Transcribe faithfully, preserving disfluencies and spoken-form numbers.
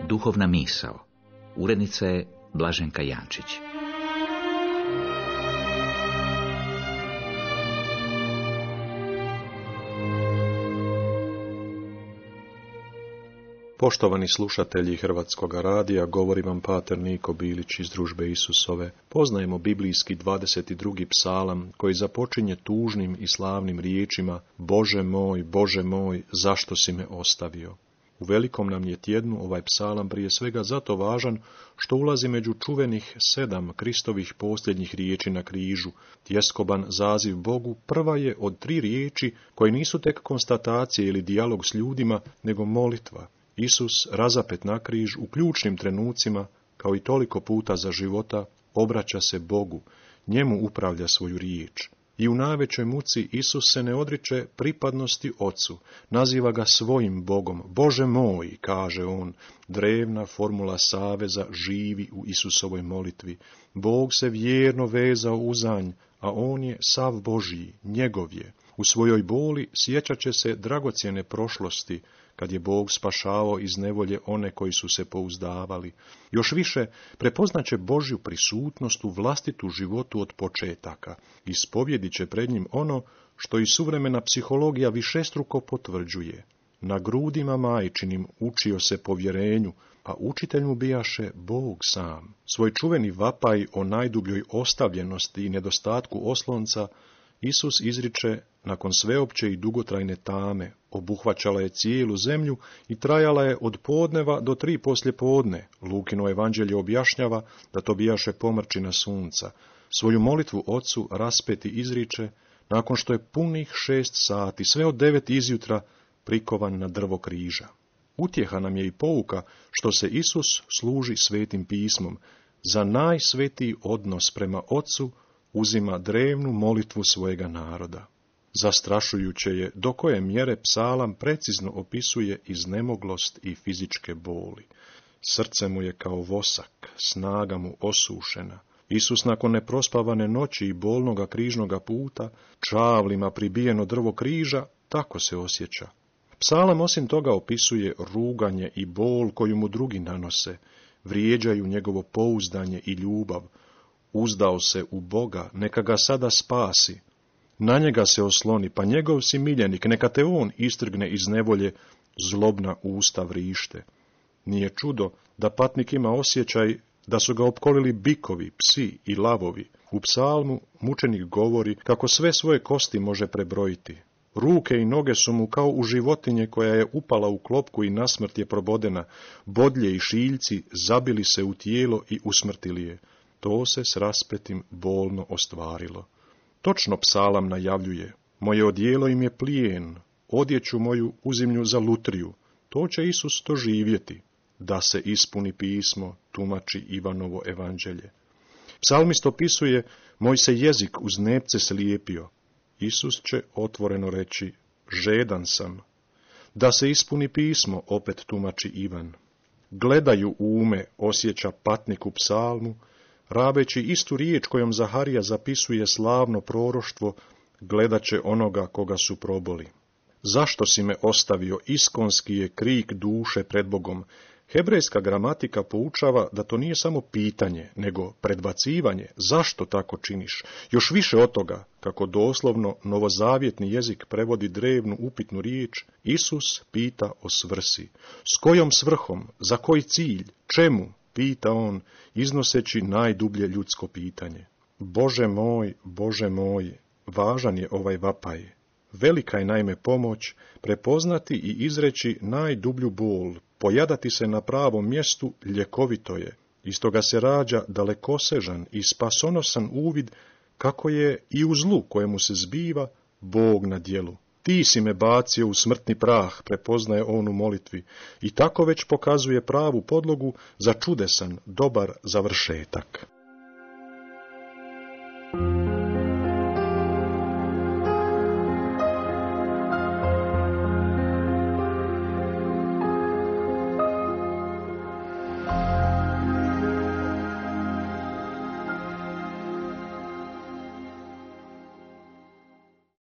Duhovna misao. Urednica je Blaženka Jančić. Poštovani slušatelji Hrvatskog radija, govori vam pater Niko Bilić iz Družbe Isusove. Poznajemo biblijski dvadeset drugi psalam koji započinje tužnim i slavnim riječima: Bože moj, Bože moj, zašto si me ostavio? U velikom nam je tjednu ovaj psalam prije svega zato važan što ulazi među čuvenih sedam Kristovih posljednjih riječi na križu. Tjeskoban zaziv Bogu prva je od tri riječi koje nisu tek konstatacije ili dijalog s ljudima, nego molitva. Isus, razapet na križ, u ključnim trenucima, kao i toliko puta za života, obraća se Bogu, njemu upravlja svoju riječ. I u najvećoj muci Isus se ne odriče pripadnosti Ocu, naziva ga svojim Bogom. Bože moj, kaže on, drevna formula saveza živi u Isusovoj molitvi. Bog se vjerno vezao uzanj, a on je sav Božji, njegov je. U svojoj boli sjećat će se dragocjene prošlosti, kad je Bog spašavao iz nevolje one koji su se pouzdavali. Još više prepoznaće Božju prisutnost u vlastitu životu od početaka. Ispovjedit će pred njim ono što i suvremena psihologija višestruko potvrđuje. Na grudima majčinim učio se povjerenju, a učitelj mu bijaše Bog sam. Svoj čuveni vapaj o najdubljoj ostavljenosti i nedostatku oslonca Isus izriče nakon sveopće i dugotrajne tame. Obuhvaćala je cijelu zemlju i trajala je od podneva do tri poslijepodne. Lukino evanđelje objašnjava da to bijaše pomrčina sunca. Svoju molitvu Ocu raspeti izriče nakon što je punih šest sati, sve od devet izjutra, prikovan na drvo križa. Utjeha nam je i pouka što se Isus služi svetim pismom. Za najsvetiji odnos prema Ocu uzima drevnu molitvu svojega naroda. Zastrašujuće je do koje mjere psalam precizno opisuje iznemoglost i fizičke boli. Srce mu je kao vosak, snaga mu osušena. Isus nakon neprospavane noći i bolnoga križnoga puta, čavlima pribijeno drvo križa, tako se osjeća. Psalam osim toga opisuje ruganje i bol koju mu drugi nanose, vrijeđaju njegovo pouzdanje i ljubav. Uzdao se u Boga, neka ga sada spasi. Na njega se osloni, pa njegov si miljenik, neka te on istrgne iz nevolje, zlobna usta vrište. Nije čudo da patnik ima osjećaj da su ga opkolili bikovi, psi i lavovi. U psalmu mučenik govori kako sve svoje kosti može prebrojiti. Ruke i noge su mu kao u životinje koja je upala u klopku i nasmrt je probodena. Bodlje i šiljci zabili se u tijelo i usmrtili je. To se s raspetim bolno ostvarilo. Točno psalam najavljuje: moje odijelo im je plijen, odjeću moju uzimlju za lutriju. To će Isus doživjeti, da se ispuni pismo, tumači Ivanovo evanđelje. Psalmist opisuje: moj se jezik uz nepce slijepio. Isus će otvoreno reći: žedan sam. Da se ispuni pismo, opet tumači Ivan. Gledaju ume, osjeća patnik u psalmu, rabeći istu riječ kojom Zaharija zapisuje slavno proroštvo: gledat će onoga koga su proboli. Zašto si me ostavio, iskonski je krik duše pred Bogom. Hebrejska gramatika poučava da to nije samo pitanje, nego predbacivanje. Zašto tako činiš? Još više od toga, kako doslovno novozavjetni jezik prevodi drevnu upitnu riječ, Isus pita o svrsi. S kojom svrhom? Za koji cilj? Čemu? Pita on, iznoseći najdublje ljudsko pitanje. Bože moj, Bože moj, važan je ovaj vapaj. Velika je naime pomoć prepoznati i izreći najdublju bol, pojadati se na pravom mjestu ljekovito je. Iz toga se rađa dalekosežan i spasonosan uvid kako je i u zlu kojemu se zbiva Bog na djelu. Ti si me bacio u smrtni prah, prepoznaje on u molitvi, i tako već pokazuje pravu podlogu za čudesan, dobar završetak.